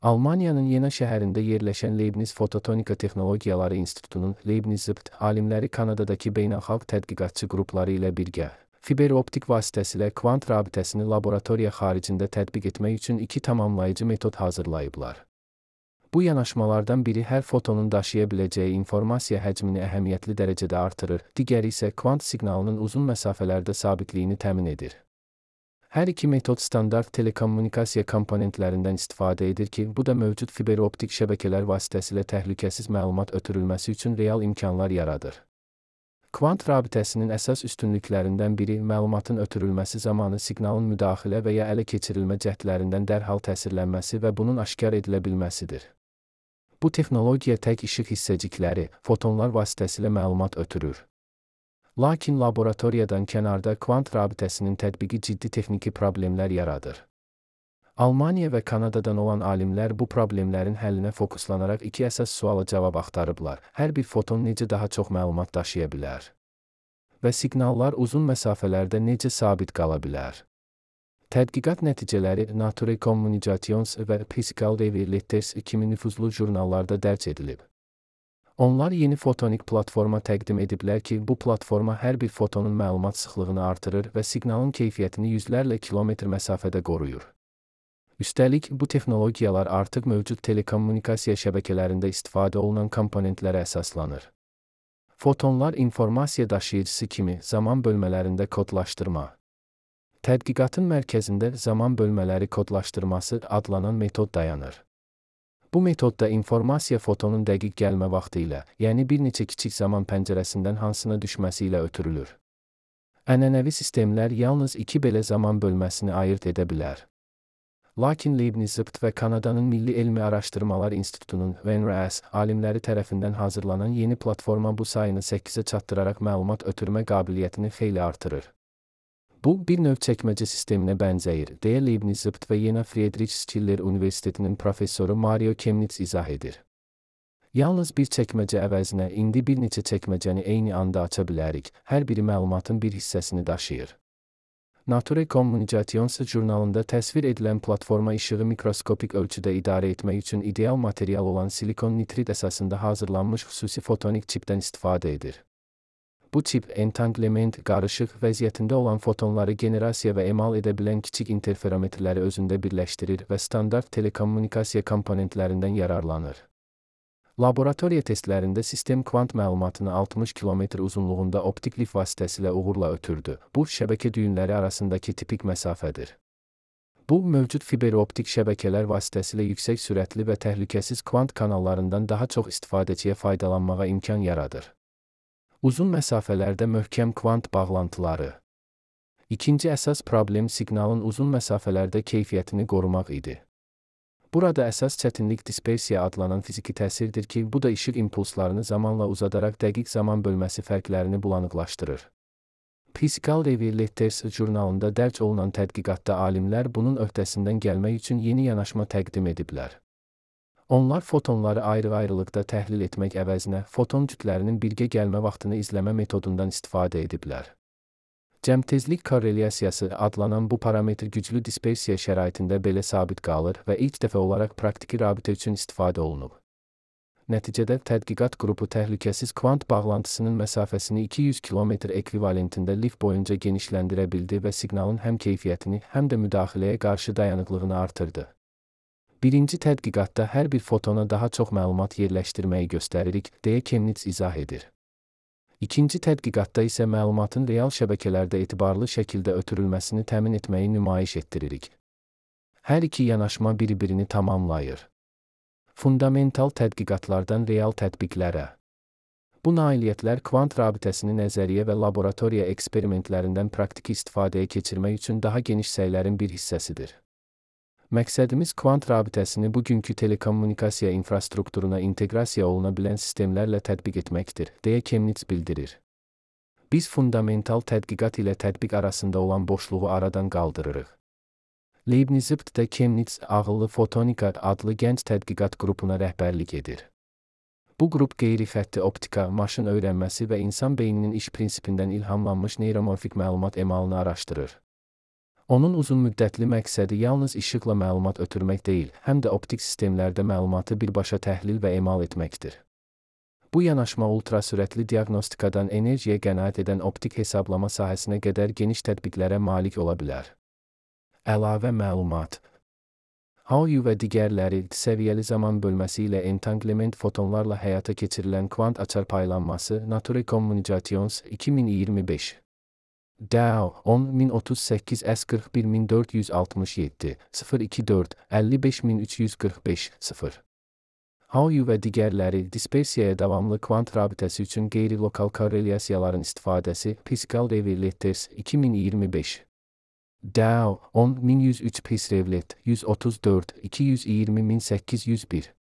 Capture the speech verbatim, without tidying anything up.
Almaniyanın Yena şəhərində yerləşən Leibniz Fototonika Texnologiyaları İnstitutunun Leibniz-Zıbt alimləri Kanadadakı beynəlxalq tədqiqatçı qrupları ilə birgə fiberoptik vasitəsilə kvant rabitəsini laboratoriya xaricində tətbiq etmək üçün iki tamamlayıcı metod hazırlayıblar. Bu yanaşmalardan biri hər fotonun daşıya biləcəyi informasiya həcmini əhəmiyyətli dərəcədə artırır, digəri isə kvant siqnalının uzun məsafələrdə sabitliyini təmin edir. Hər iki metod standart telekommunikasiya komponentlərindən istifadə edir ki, bu da mövcud fiberoptik şəbəkələr vasitəsilə təhlükəsiz məlumat ötürülməsi üçün real imkanlar yaradır. Kvant rabitəsinin əsas üstünlüklərindən biri məlumatın ötürülməsi zamanı siqnalın müdaxilə və ya ələ keçirilmə cəhdlərindən dərhal təsirlənməsi və bunun aşkar edilə bilməsidir. Bu texnologiya tək işıq hissəcikləri, fotonlar vasitəsilə məlumat ötürür. Lakin laboratoriyadan kənarda kvant rabitəsinin tətbiqi ciddi texniki problemlər yaradır. Almaniya və Kanadadan olan alimlər bu problemlərin həllinə fokuslanaraq iki əsas suala cavab axtarıblar. Hər bir foton necə daha çox məlumat daşıya bilər? Və siqnallar uzun məsafələrdə necə sabit qala bilər? Tədqiqat nəticələri Nature Communications və Physical Review Letters kimi nüfuzlu jurnallarda dərc edilib. Onlar yeni fotonik platforma təqdim ediblər ki, bu platforma hər bir fotonun məlumat sıxlığını artırır və siqnalın keyfiyyətini yüzlərlə kilometr məsafədə qoruyur. Üstəlik, bu texnologiyalar artıq mövcud telekommunikasiya şəbəkələrində istifadə olunan komponentlərə əsaslanır. Fotonlar informasiya daşıyıcısı kimi zaman bölmələrində kodlaşdırma. Tədqiqatın mərkəzində zaman bölmələri kodlaşdırması adlanan metod dayanır. Bu metodda informasiya fotonun dəqiq gəlmə vaxtı ilə, yəni bir neçə kiçik zaman pəncərəsindən hansına düşməsi ilə ötürülür. Ənənəvi sistemlər yalnız iki belə zaman bölməsini ayırt edə bilər. Lakin Leibniz-Zıbt və Kanadanın Milli Elmi Araşdırmalar İnstitutunun V N R A S alimləri tərəfindən hazırlanan yeni platforma bu sayını səkkizə çatdıraraq məlumat ötürmə qabiliyyətini xeyli artırır. Bu, bir növ çəkməcə sisteminə bənzəyir, deyə Leibniz-Zıbt və Yena Friedrich Schiller Universitetinin professoru Mario Chemnitz izah edir. Yalnız bir çəkməcə əvəzinə indi bir neçə çəkməcəni eyni anda aça bilərik, hər biri məlumatın bir hissəsini daşıyır. Nature Communications jurnalında təsvir edilən platforma işığı mikroskopik ölçüdə idarə etmək üçün ideal material olan silikon nitrid əsasında hazırlanmış xüsusi fotonik çipdən istifadə edir. Bu çip, entanglement, qarışıq vəziyyətində olan fotonları generasiya və emal edə bilən kiçik interferometrləri özündə birləşdirir və standart telekommunikasiya komponentlərindən yararlanır. Laboratoriya testlərində sistem kvant məlumatını altmış kilometr uzunluğunda optik lif vasitəsilə uğurla ötürdü. Bu, şəbəkə düyünləri arasındakı tipik məsafədir. Bu, mövcud fiberoptik şəbəkələr vasitəsilə yüksək sürətli və təhlükəsiz kvant kanallarından daha çox istifadəçiyə faydalanmağa imkan yaradır. Uzun məsafələrdə möhkəm kvant bağlantıları. İkinci əsas problem siqnalın uzun məsafələrdə keyfiyyətini qorumaq idi. Burada əsas çətinlik dispersiya adlanan fiziki təsirdir ki, bu da işıq impulslarını zamanla uzadaraq dəqiq zaman bölməsi fərqlərini bulanıqlaşdırır. Physical Review Letters jurnalında dərc olunan tədqiqatda alimlər bunun öhdəsindən gəlmək üçün yeni yanaşma təqdim ediblər. Onlar fotonları ayrı-ayrılıqda təhlil etmək əvəzinə foton cütlərinin birgə gəlmə vaxtını izləmə metodundan istifadə ediblər. Cəmtezlik korrelyasiyası adlanan bu parametr güclü dispersiya şəraitində belə sabit qalır və ilk dəfə olaraq praktiki rabitə üçün istifadə olunub. Nəticədə tədqiqat qrupu təhlükəsiz kvant bağlantısının məsafəsini iki yüz kilometr ekvivalentində lif boyunca genişləndirə bildi və siqnalın həm keyfiyyətini, həm də müdaxiləyə qarşı dayanıqlığını artırdı. Birinci tədqiqatda hər bir fotona daha çox məlumat yerləşdirməyi göstəririk, deyə Chemnitz izah edir. İkinci tədqiqatda isə məlumatın real şəbəkələrdə etibarlı şəkildə ötürülməsini təmin etməyi nümayiş etdiririk. Hər iki yanaşma bir-birini tamamlayır. Fundamental tədqiqatlardan real tətbiqlərə. Bu nailiyyətlər kvant rabitəsini nəzəriyyə və laboratoriya eksperimentlərindən praktiki istifadəyə keçirmək üçün daha geniş səylərin bir hissəsidir. Məqsədimiz kvant rabitəsini bugünkü telekommunikasiya infrastrukturuna inteqrasiya oluna bilən sistemlərlə tətbiq etməkdir, deyə Chemnitz bildirir. Biz fundamental tədqiqat ilə tətbiq arasında olan boşluğu aradan qaldırırıq. Leibniz-Zıbt da Chemnitz ağıllı fotonika adlı gənc tədqiqat qrupuna rəhbərlik edir. Bu qrup qeyri-xətti optika, maşın öyrənməsi və insan beyninin iş prinsipindən ilhamlanmış neyromorfik məlumat emalını araşdırır. Onun uzunmüddətli məqsədi yalnız işıqla məlumat ötürmək deyil, həm də optik sistemlərdə məlumatı birbaşa təhlil və emal etməkdir. Bu yanaşma ultrasürətli diaqnostikadan enerjiyə qənaət edən optik hesablama sahəsinə qədər geniş tətbiqlərə malik ola bilər. Əlavə məlumat. Hauyu və digərləri səviyyəli zaman bölməsi ilə entanglement fotonlarla həyata keçirilən kvant açar paylanması Nature Communications iki min iyirmi beş. D A O on min otuz səkkiz S qırx bir min dörd yüz altmış yeddi sıfır iki dörd əlli beş min üç yüz qırx beş sıfır. Hauyu və digərləri dispersiyaya davamlı kvant rabitəsi üçün qeyri-lokal korrelyasiyaların istifadəsi Pascal Reveletters iki min iyirmi beş. D A O on min yüz üç Pasrevlet yüz otuz dörd iki yüz iyirmi min səkkiz yüz bir.